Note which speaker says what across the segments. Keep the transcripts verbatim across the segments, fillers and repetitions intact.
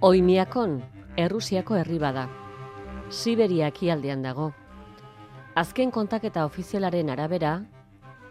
Speaker 1: Oimiakon, Errusiako herri bada. Siberia ekialdean dago. Azken kontaketa ofizialaren arabera,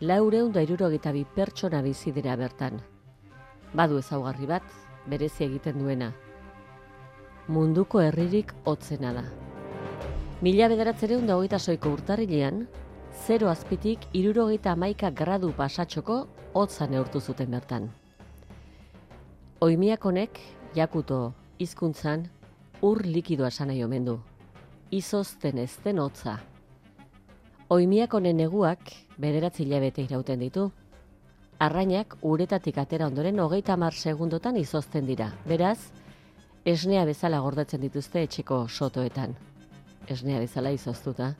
Speaker 1: laurehun eta hirurogeita bi pertsona bizi dira bertan. Badu ezaugarri bat, berezi egiten duena. Munduko herririk hotzena da. Mila bederatziehun eta hogeita soiko urtarrilean, zero azpitik hirurogeita hamaika gradu pasatxoko hotza neurtu zuten bertan. Oimiakonek, jakuto hizkuntzan, ur likidoa esan nahi omen du. Izozten ez den hotza. Oimiakonen neguak bederatzi hilabete irauten ditu. Arrainak uretatik atera ondoren hogeita hamar segundotan izozten dira. Beraz, esnea bezala gordetzen dituzte etxeko sotoetan. Esnea bezala izoztuta.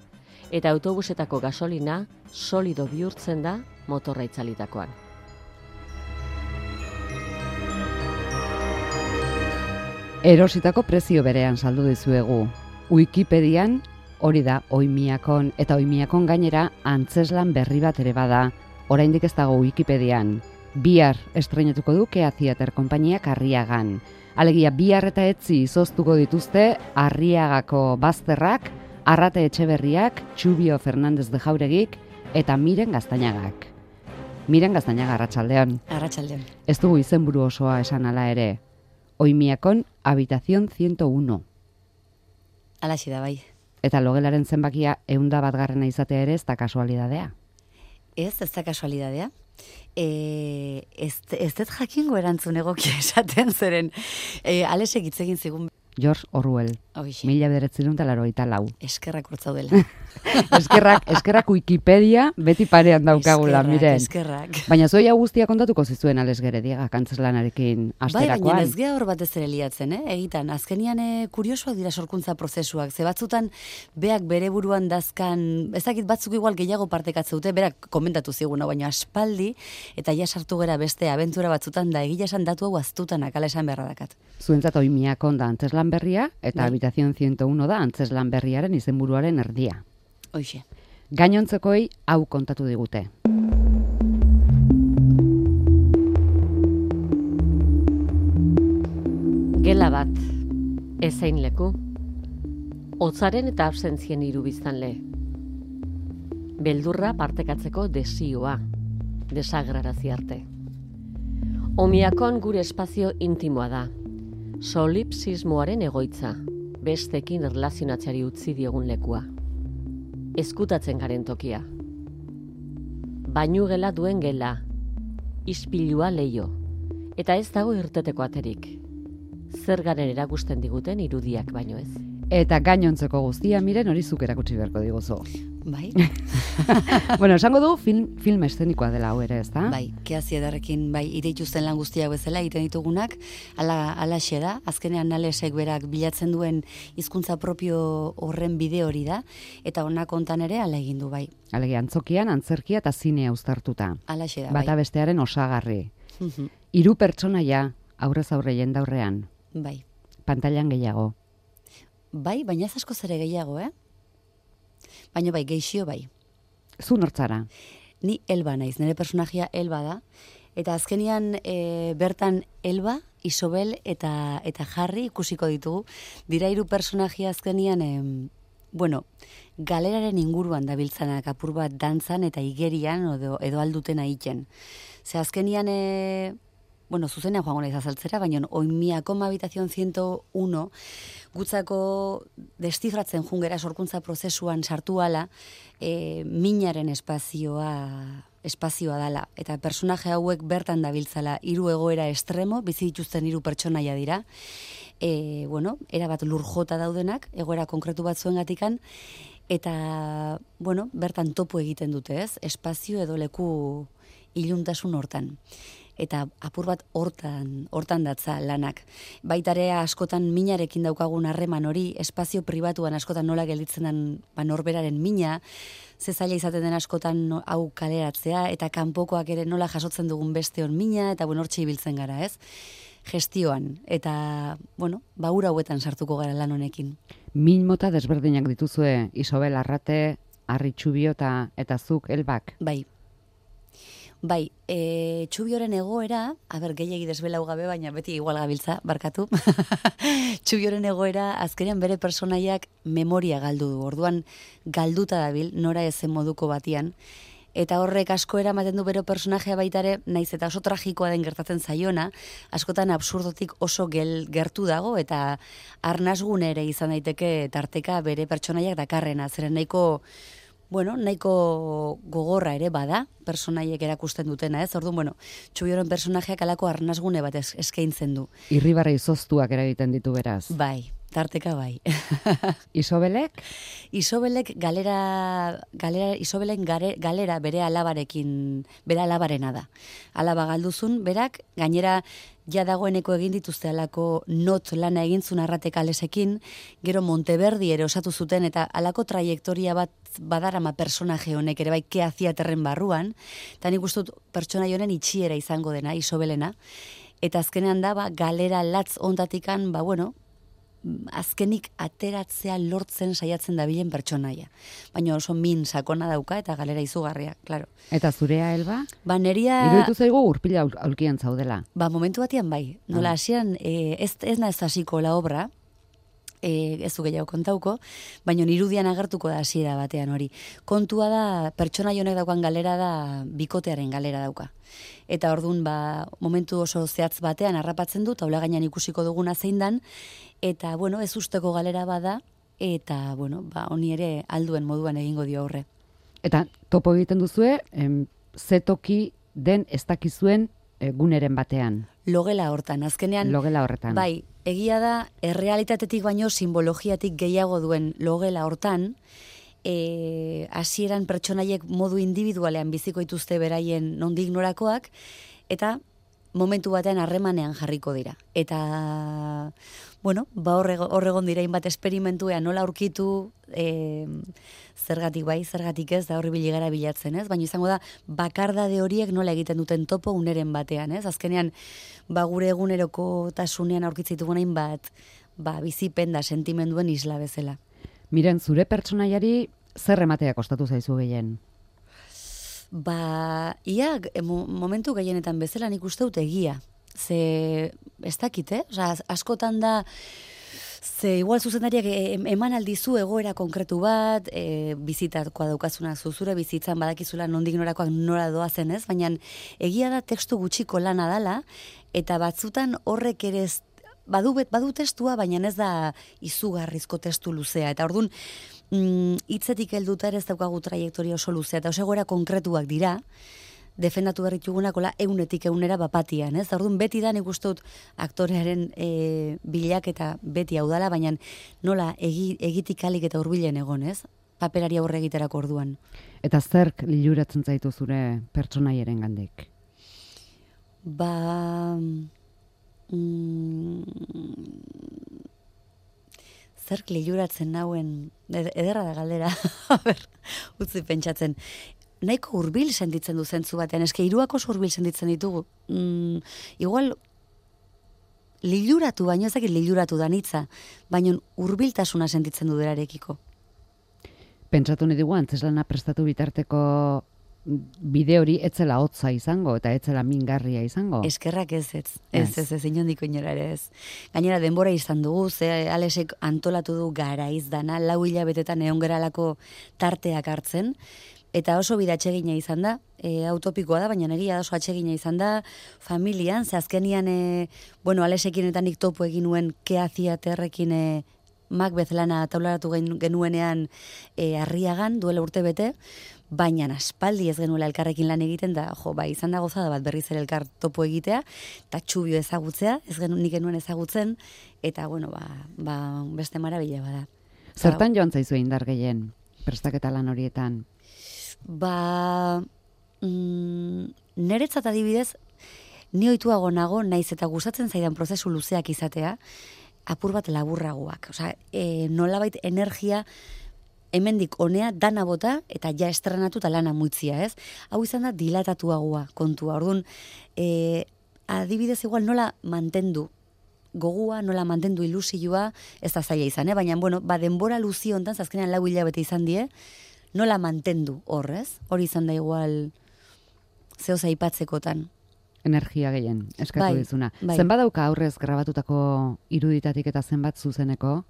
Speaker 1: Eta autobusetako gasolina solido bihurtzen da motorra itzalitakoan.
Speaker 2: Erositako prezio berean saldu dizuegu. Wikipedian hori da Oimiakon, eta Oimiakon gainera antzeslan berri bat ere bada. Oraindik ez dago Wikipedian. Bihar estreinetuko du Kea Theater konpainiak Arriagan. Alegia bihar eta etzi izoztuko dituzte Arriagako bazterrak, Arrate Etxeberriak, Txubio Fernandez de Jauregik eta Miren Gaztañagak. Miren Gaztañaga, arratsaldeon.
Speaker 3: Arratsaldeon.
Speaker 2: Ez dugu izenburu osoa esan ala ere. Oimiakon Habitación ciento uno.
Speaker 3: Alaxi da bai.
Speaker 2: Eta logelaren zenbakia ehunda batgarrena izatea ere ez da kasualidadea.
Speaker 3: Ez, ez da kasualidadea. E, ez, ez dut jakingo erantzun egokia esaten zeren. E, Alesek hitz egin zigun.
Speaker 2: George Orwell.
Speaker 3: Oixe.
Speaker 2: Mila bederatziehun eta laurogeita lau.
Speaker 3: Eskerrak urtzaudela.
Speaker 2: eskerrak, eskerrak Wikipedia beti parean daukagula, miren.
Speaker 3: Eskerrak.
Speaker 2: Baina zoi hau guztia kontatuko zizuen Ales Gerediaga kantzlanarekin asterakoan.
Speaker 3: Bai, baina ez gea hor bat ez ere liatzen, eh? Egitan, azkenian eh, kuriosoak dira sorkuntza prozesuak. Ze batzutan, beak bere buruan dazkan, ezakit batzuk igual gehiago partekatze dute, berak komentatu ziguna, baina aspaldi, eta ja sartu gera beste abentura batzutan da, egila esan datu hau aztutanak, ala esan beharra dakat.
Speaker 2: Zuentzat Oimiakon da antzeslan berria, eta bai. Habitación ciento uno da antzeslan berriaren izenburuaren erdia.
Speaker 3: Hoxe.
Speaker 2: Gainontzekoi hau kontatu digute.
Speaker 1: Gela bat, ezein leku, hotzaren eta absentzien hiru biztanle. Beldurra partekatzeko desioa, desagrarazi arte. Oimiakon gure espazio intimoa da, solipsismoaren egoitza, bestekin erlazionatzeari utzi diegun lekua. Ezkutatzen garen tokia. Bainu gela duen gela, ispilua leio, eta ez dago irteteko aterik. Zer garen erakusten diguten irudiak baino ez.
Speaker 2: Eta gainontzeko guztia, miren hori zuk erakutsi beharko diguzu.
Speaker 3: Bai.
Speaker 2: Bueno, esango du film, film eszenikoa dela hau ere, ez da?
Speaker 3: Bai, Kea Theaterrekin, bai, ireituzten lan guztiak bezala, egiten ditugunak, ala, alaxe da, azkenean Alesek berak bilatzen duen hizkuntza propio horren bide hori da, eta honak hontan ere ala egin du, bai.
Speaker 2: Alegia, antzokian, antzerkia eta zinea uztartuta.
Speaker 3: Alaxe da, bai.
Speaker 2: Bata bestearen osagarri. Hiru pertsonaia aurrez aurre jendaurrean.
Speaker 3: Bai.
Speaker 2: Pantailan gehiago.
Speaker 3: Bai, baina ez asko zere gehiago, eh? Baina bai, geixio bai.
Speaker 2: Zu nortzara?
Speaker 3: Ni Elba naiz, nire personajia Elba da. Eta azkenian e, bertan Elba, Isobel eta eta Harry ikusiko ditugu. Dira hiru personajia azkenian, e, bueno, galeraren inguruan dabiltzanak apur bat dantzan eta igerian edo, edo alduten aiten. Ze azkenian... E, bueno, zuzenean joango naiz azaltzera, baina Oimiakon Habitación ciento uno gutzako destifratzen jungera sorkuntza prozesuan sartu ala, e, minaren espazioa espazioa dala. Eta personaje hauek bertan dabiltzala hiru egoera estremo, bizi dituzten hiru pertsonaia dira. E, bueno, erabat lurjota daudenak, egoera konkretu bat zuengatikan, eta, bueno, bertan topo egiten dute, ez? Espazio edo leku iluntasun hortan. Eta apur bat hortan, hortan datza lanak. Baitarea askotan minarekin daukagun harreman hori, espazio pribatuan askotan nola gelditzen den ba, norberaren mina, ze zaila izaten den askotan no, hau kaleratzea, eta kanpokoak ere nola jasotzen dugun besteon mina, eta bueno, hortxe ibiltzen gara, ez? Gestioan, eta, bueno, ba ura hauetan sartuko gara lan honekin.
Speaker 2: Min mota desberdinak dituzue, Isobel Arrate, Harry Txubio eta, eta zuk Elbak.
Speaker 3: Bai. Bai, e, Txubioren egoera, aber gehiegi desbelau gabe, baina beti igual gabiltza, barkatu. Txubioren egoera, azkenean bere personaiak memoria galdu du. Orduan galduta dabil, nora ezen moduko batian. Eta horrek asko eramaten du bere personajea baitare, naiz eta oso tragikoa den gertatzen zaiona, askotan absurdotik oso gel, gertu dago, eta arnasgune ere izan daiteke tarteka bere pertsonaiak dakarrena, zeren nahiko, bueno, nahiko gogorra ere bada, personaiek erakusten dutena, ez? Orduan, bueno, Txubioren personajeak alako arnasgune bat eskaintzen du.
Speaker 2: Irribarre izoztuak eragiten ditu beraz.
Speaker 3: Bai, tarteka bai.
Speaker 2: Isobelek?
Speaker 3: Isobelek galera, galera Isobelen gare, galera bere alabarekin, bere alabarena da. Alaba galduzun, berak, gainera ja dagoeneko egin dituzte alako not lana egintzun arratek alesekin, gero Monteverdi ere osatu zuten, eta alako trajektoria bat badarama personaje honek ere bai kea ziaterren barruan, eta nik ustut pertsonai honen itxiera izango dena, Isobelena, eta azkenean da, ba, galera latz ondatikan, ba, bueno, azkenik ateratzea lortzen saiatzen dabilen pertsonaia. Baina oso min sakona dauka eta galera izugarria, claro.
Speaker 2: Eta zurea, Elba?
Speaker 3: Ba, neria...
Speaker 2: Iruditu zaigu urpila aulkian zaudela.
Speaker 3: Ba, momentu batian bai. Nola, hasian, eh, ez, ez naiz hasiko la obra, eh, ez du gehiago kontauko, baina irudian agertuko da hasiera batean hori. Kontua da, pertsonai honek daukan galera da, bikotearen galera dauka. Eta ordun ba, momentu oso zehatz batean harrapatzen du, taula gainean ikusiko duguna zein dan, eta, bueno, ez usteko galera bada, eta, bueno, ba, honi ere alduen moduan egingo dio aurre.
Speaker 2: Eta topo egiten duzue, em, zetoki den ez dakizuen e, guneren batean.
Speaker 3: Logela hortan, azkenean...
Speaker 2: Logela horretan.
Speaker 3: Bai, egia da, errealitatetik baino simbologiatik gehiago duen logela hortan, e, hasieran pertsonaiek modu individualean biziko dituzte beraien nondik norakoak, eta momentu batean harremanean jarriko dira. Eta, bueno, ba horregon dira inbat esperimentuea nola aurkitu, e, zergatik bai, zergatik ez, da horri biligara bilatzen, ez? Baina izango da, bakardade horiek nola egiten duten topo uneren batean, ez? Azkenean, ba gure eguneroko tasunean aurkitzitugu nahin bat, ba bizipen da sentimenduen isla bezala.
Speaker 2: Miren, zure pertsonaiari zer ematea kostatu zaizu gehien?
Speaker 3: Ba, ia, momentu gehienetan bezala nik uste dut egia. Ze, ez dakit, eh? Osa, askotan da, ze igual zuzendariak eman aldizu egoera konkretu bat, e, bizitakoa daukazuna zuzure bizitzan badakizula nondik norakoak nora doazen, ez? Baina egia da tekstu gutxiko lana dala, eta batzutan horrek ere ez, badu, badu testua, baina ez da izugarrizko testu luzea. Eta orduan, hitzetik helduta ere ez daukagu trajektoria oso luzea, eta oso egoera konkretuak dira, defendatu berritugunakola eunetik eunera bapatian, ez? Orduan beti da nik uste dut aktorearen e, bilaketa beti hau dala, baina nola egi, egitik alik eta hurbilen egon, ez? Paperari aurre egiterako orduan.
Speaker 2: Eta zerk liluratzen zaitu zure pertsonaiaren gandik?
Speaker 3: Ba... Mm, zerk liluratzen nauen, ederra da galdera, a ber, utzi pentsatzen. Nahiko hurbil sentitzen du zentzu batean, eske hiruak oso hurbil sentitzen ditugu. Mm, igual, liluratu, baino ezakit liluratu danitza, baino hurbiltasuna sentitzen du berarekiko.
Speaker 2: Pentsatu nahi dugu, antzeslana prestatu bitarteko bide hori etzela hotza izango, eta etzela mingarria izango.
Speaker 3: Eskerrak ez ez, ez ez, ez, inondiko inora ere ez. Gainera denbora izan dugu, ze Alesek antolatu du garaiz dana, lau hilabetetan egon geralako tarteak hartzen, eta oso bide atsegina izan da, e, autopikoa da, baina egia da oso atsegina izan da, familian, ze azkenian, e, bueno, Alesekin eta nik topo egin nuen Kea Ziaterrekin e, Macbeth lana taularatu genuenean e, Arriagan, duela urte bete, baina aspaldi ez genuela elkarrekin lan egiten da, jo, bai, izan da gozada bat berriz ere elkar topo egitea, eta Txubio ezagutzea, ez genu, nik genuen ezagutzen, eta, bueno, ba, ba beste marabila bada.
Speaker 2: Zertan joan zaizu indar gehien, prestaketa lan horietan?
Speaker 3: Ba, mm, niretzat adibidez, ni ohituago nago, naiz eta gustatzen zaidan prozesu luzeak izatea, apur bat laburragoak. Osea, e, nolabait energia hemendik honea dana bota eta ja estrenatu eta lana muitzia, ez? Hau izan da dilatatuagoa kontua. Orduan, e, adibidez igual nola mantendu gogua, nola mantendu ilusioa, ez da zaila izan, eh? Baina, bueno, ba, denbora luzi hontan, azkenean lau hilabete izan die, nola mantendu horrez? Hori izan da igual zehoz aipatzekotan.
Speaker 2: Energia gehien, eskatu
Speaker 3: Bai,
Speaker 2: dizuna.
Speaker 3: bai.
Speaker 2: Zenbat dauka aurrez grabatutako iruditatik eta zenbat zuzeneko?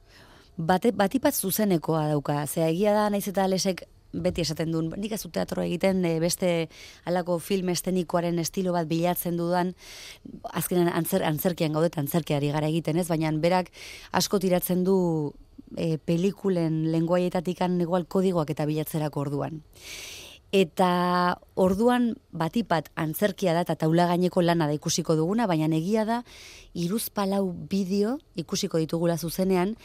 Speaker 3: Bate, batipat zuzenekoa dauka, zea egia da, naiz eta Alesek beti esaten duen, nik ez dut teatro egiten, e, beste halako film estenikoaren estilo bat bilatzen dudan, azkenan antzer, antzerkian gaudet, antzerkiari gara egiten ez, baina berak asko tiratzen du e, pelikulen lenguaietatikan igual kodigoak eta bilatzerako orduan. Eta orduan batipat antzerkia da eta taula gaineko lana da ikusiko duguna, baina egia da hiruzpalau bideo ikusiko ditugula zuzenean,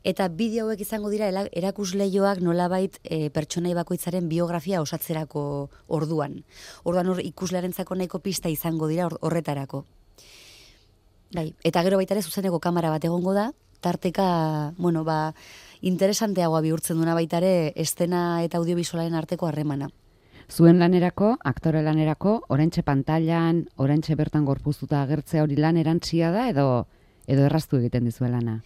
Speaker 3: eta bideo hauek izango dira erakusleioak nolabait e, pertsonai bakoitzaren biografia osatzerako orduan. Orduan hor ikuslearentzako nahiko pista izango dira or, horretarako. Bai, eta gero baita ere zuzeneko kamera bat egongo da, tarteka, bueno, ba, interesanteagoa bihurtzen duna baita ere estena eta audiovisualaren arteko harremana.
Speaker 2: Zuen lanerako, aktore lanerako, oraintxe pantailan, oraintxe bertan gorpuztuta agertzea hori lan erantsia da edo edo erraztu egiten dizue lana?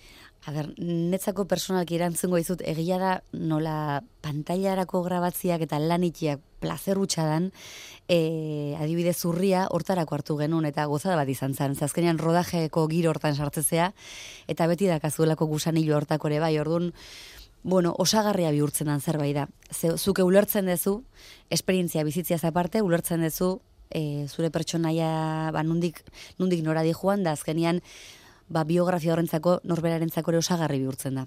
Speaker 3: A ber, netzako personalki erantzungo dizut, egia da nola pantailarako grabatziak eta lanitiak plazer hutsadan, e, adibidez zurria hortarako hartu genuen eta gozada bat izan zen. Azkenean rodajeko giro hortan sartzezea eta beti dakazuelako gusanilo hortako ere bai, orduan, bueno, osagarria bihurtzen dan zerbait da. Ze, zuke ulertzen dezu, esperientzia bizitziaz aparte, ulertzen dezu e, zure pertsonaia ba, nundik, nundik nora di joan, da azkenean ba, biografia horrentzako norberarentzako ere osagarri bihurtzen da.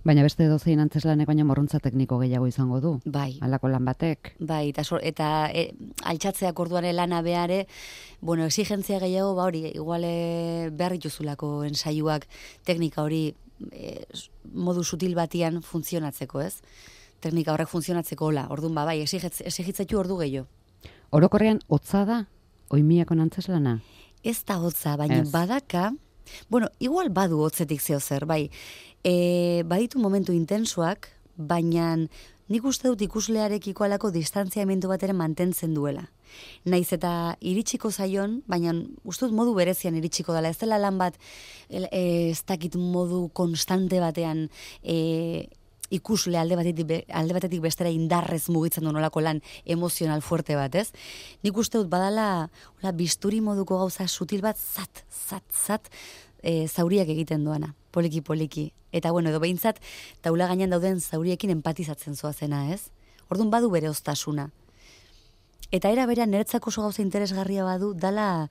Speaker 2: Baina beste dozein antzeslanek baina morrontza tekniko gehiago izango du.
Speaker 3: Bai.
Speaker 2: Halako lan batek.
Speaker 3: Bai, eta, so, eta e, altxatzeak orduan lana beare, bueno, exigentzia gehiago, ba hori, iguale behar dituzulako ensaiuak teknika hori e, modu sutil batian funtzionatzeko, ez? Teknika horrek funtzionatzeko hola, orduan ba, bai, exigitzetu ordu gehiago.
Speaker 2: Orokorrean hotza da, oimiako antzeslana?
Speaker 3: Ez da hotza, baina
Speaker 2: Ez.
Speaker 3: badaka, bueno, igual badu hotzetik zeo zer, bai, e, baditu momentu intensoak, baina nik uste dut ikuslearekiko alako distantziamendu bat ere mantentzen duela. Naiz eta iritsiko zaion, baina uste dut modu berezian iritsiko dela, ez dela lan bat, e, ez dakit modu konstante batean, e, ikusle alde batetik, be, alde batetik bestera indarrez mugitzen du nolako lan emozional fuerte bat, ez? Nik uste dut badala hola, bisturi moduko gauza sutil bat, zat, zat, zat, e, zauriak egiten duana, poliki-poliki. Eta bueno, edo behintzat, taula gainean dauden zauriekin empatizatzen zoazena, ez? Orduan badu bere oztasuna. Eta era berean niretzako oso gauza interesgarria badu, dala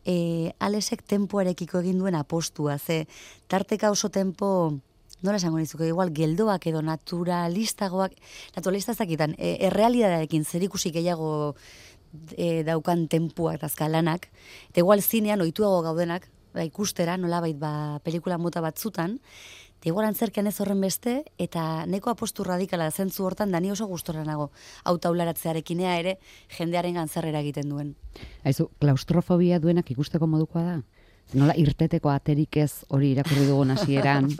Speaker 3: e, Alesek tempoarekiko egin duen apostua, ze tarteka oso tempo, nola esango nizuke, igual geldoak edo naturalistagoak, naturalista zakitan, e, errealidadearekin zerikusi gehiago e, daukan tempuak eta azkalanak, eta igual zinean ohituago gaudenak, ba, ikustera, nolabait ba, pelikula mota batzutan, eta igual antzerkean ez horren beste, eta neko apostu radikala zentzu hortan, da ni oso gustora nago, hau taularatzearekinea ere, jendearen gantzarrera egiten duen.
Speaker 2: Aizu, klaustrofobia duenak ikusteko modukoa da? Nola irteteko aterik ez hori irakurri dugun hasieran.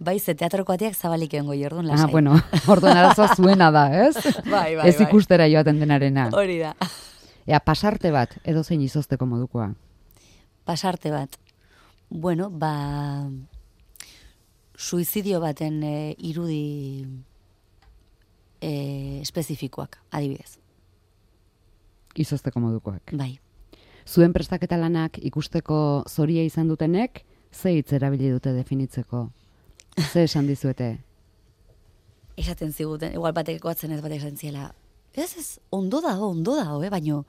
Speaker 3: Bai, ze teatroko ateak zabalik egongo orduan lasai.
Speaker 2: Ah, bueno, orduan arazoa zuena da, ez?
Speaker 3: Bai, bai,
Speaker 2: ez
Speaker 3: bai.
Speaker 2: ikustera joaten denarena.
Speaker 3: Hori da.
Speaker 2: Ea, pasarte bat, edo zein izozteko modukoa.
Speaker 3: Pasarte bat. Bueno, ba... suizidio baten e, irudi e, espezifikoak, adibidez.
Speaker 2: Izozteko modukoak.
Speaker 3: Bai.
Speaker 2: Zuen prestaketa lanak ikusteko zoria izan dutenek, ze hitz erabili dute definitzeko? Ze esan dizuete?
Speaker 3: Esaten ziguten, igual batek goatzen ez batek esan ziela, ez ez, ondo da, ondo da, eh? Baina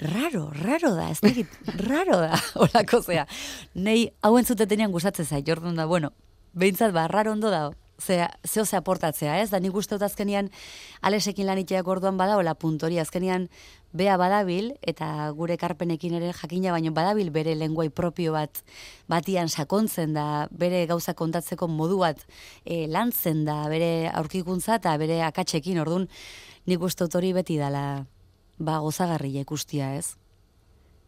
Speaker 3: raro, raro da, ez dakit, raro da, holako zea. Nei hauen zutetenean gustatzen zait, orduan da, bueno, behintzat ba, raro ondo da, zea, zeo ze aportatzea, ez? Da nik uste dut azkenian Alesekin laniteak orduan bada, hola puntori, azkenian bea badabil, eta gure karpenekin ere jakina, baino badabil bere lenguai propio bat batian sakontzen da, bere gauza kontatzeko modu bat e, lantzen da, bere aurkikuntza eta bere akatsekin, orduan nik uste dut hori beti dala ba, gozagarria ikustia, ez?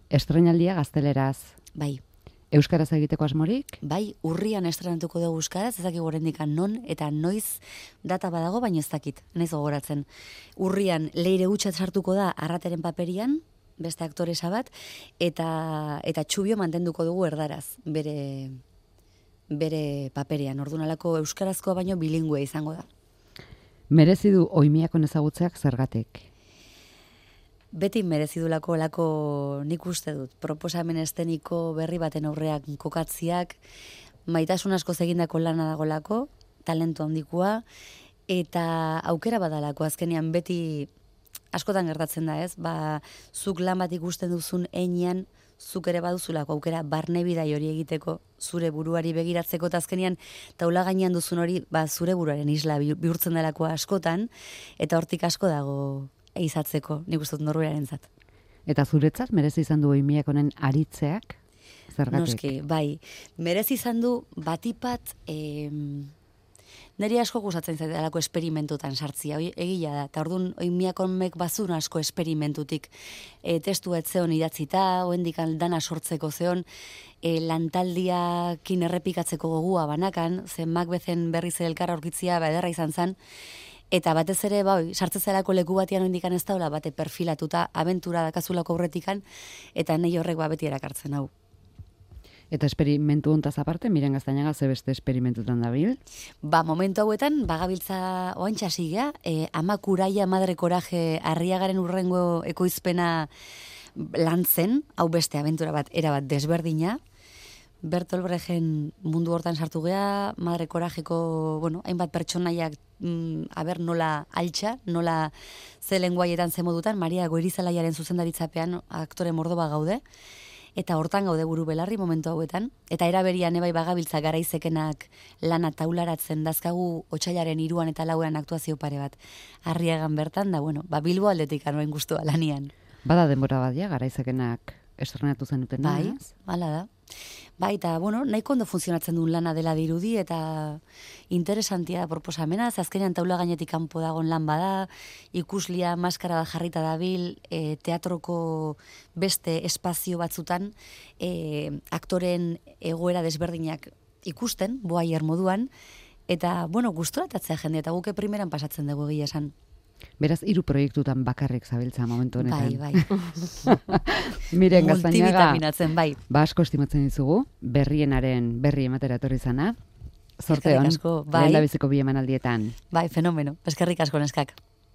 Speaker 2: Estreinaldia gazteleraz.
Speaker 3: Bai.
Speaker 2: Euskaraz egiteko asmorik?
Speaker 3: Bai, urrian estrenatuko dugu euskaraz, ez dakik oraindik non eta noiz data badago, baina ez dakit, naiz gogoratzen. Urrian Leire Utxat sartuko da Arrateren paperian, beste aktoresa bat, eta eta Txubio mantenduko dugu erdaraz, bere bere paperean. Orduan alako euskarazkoa baino bilingüe izango da.
Speaker 2: Merezi du oimiakon ezagutzeak zergatik?
Speaker 3: beti merezidulako lako nik uste dut. Proposamen esteniko berri baten aurreak kokatziak, maitasun asko egindako lana dagolako, talentu handikoa, eta aukera badalako azkenean beti askotan gertatzen da, ez? Ba, zuk lan bat ikusten duzun einean, zuk ere baduzulako aukera barne bidai hori egiteko, zure buruari begiratzeko, eta azkenean taula gainean duzun hori, ba, zure buruaren isla bihurtzen delako askotan, eta hortik asko dago eizatzeko, nik uste dut norberarentzat.
Speaker 2: Eta zuretzat merezi izan du Oimiak honen aritzeak? Zergatik?
Speaker 3: Noski, bai. Merezi izan du batipat, em, niri asko gustatzen zait delako esperimentutan sartzia, egia da. Eta orduan Oimiak honek bazun asko esperimentutik. E, testu etzeon idatzita, oendik dana sortzeko zeon, e, lantaldiakin errepikatzeko gogua banakan, zen Macbethen berriz elkarra aurkitzia, ba, ederra izan zen, eta batez ere, bai, sartzezelako leku batian oindikan ez daula, bate perfilatuta, abentura dakazulako aurretikan, eta nahi horrek ba, beti erakartzen hau.
Speaker 2: Eta esperimentu hontaz aparte, Miren Gaztañaga ze beste esperimentutan dabil?
Speaker 3: Ba, momentu hauetan, bagabiltza oantxa sigea, e, ama kuraia madre koraje Arriagaren urrengo ekoizpena lantzen, hau beste abentura bat, erabat desberdina, Bertolt Brechten mundu hortan sartu gea, madre korajeko, bueno, hainbat pertsonaiak mm, aber nola altxa, nola ze lenguaietan ze modutan, Maria Goirizelaiaren zuzendaritzapean aktore mordoba gaude, eta hortan gaude buru belarri momentu hauetan, eta eraberian ebai bagabiltza garaizekenak lana taularatzen dazkagu otsailaren hiruan eta lauan aktuazio pare bat. Arriagan bertan, da, bueno, ba, Bilbo aldetik anoen guztua lanian.
Speaker 2: Bada denbora badia, garaizekenak estrenatu zenuten.
Speaker 3: Bai, hala da. Bai, eta, bueno, nahiko ondo funtzionatzen duen lana dela dirudi, eta interesantia proposamena, azkenean taula gainetik kanpo dagon lan bada, ikuslia maskara bat jarrita dabil, e, teatroko beste espazio batzutan, e, aktoren egoera desberdinak ikusten, boaier moduan, eta, bueno, gustoratatzea jende, eta guke primeran pasatzen dugu egia esan.
Speaker 2: Beraz, hiru proiektutan bakarrik zabiltza momentu honetan.
Speaker 3: Bai, bai.
Speaker 2: Miren Gaztañaga,
Speaker 3: multivitaminatzen, bai.
Speaker 2: Ba asko estimatzen dizugu, berrienaren berri ematera etorri zana. Zorte hon,
Speaker 3: Eskerrik asko, bai.
Speaker 2: lehen da biziko bi emanaldietan.
Speaker 3: Bai, fenomeno. Eskerrik asko neskak.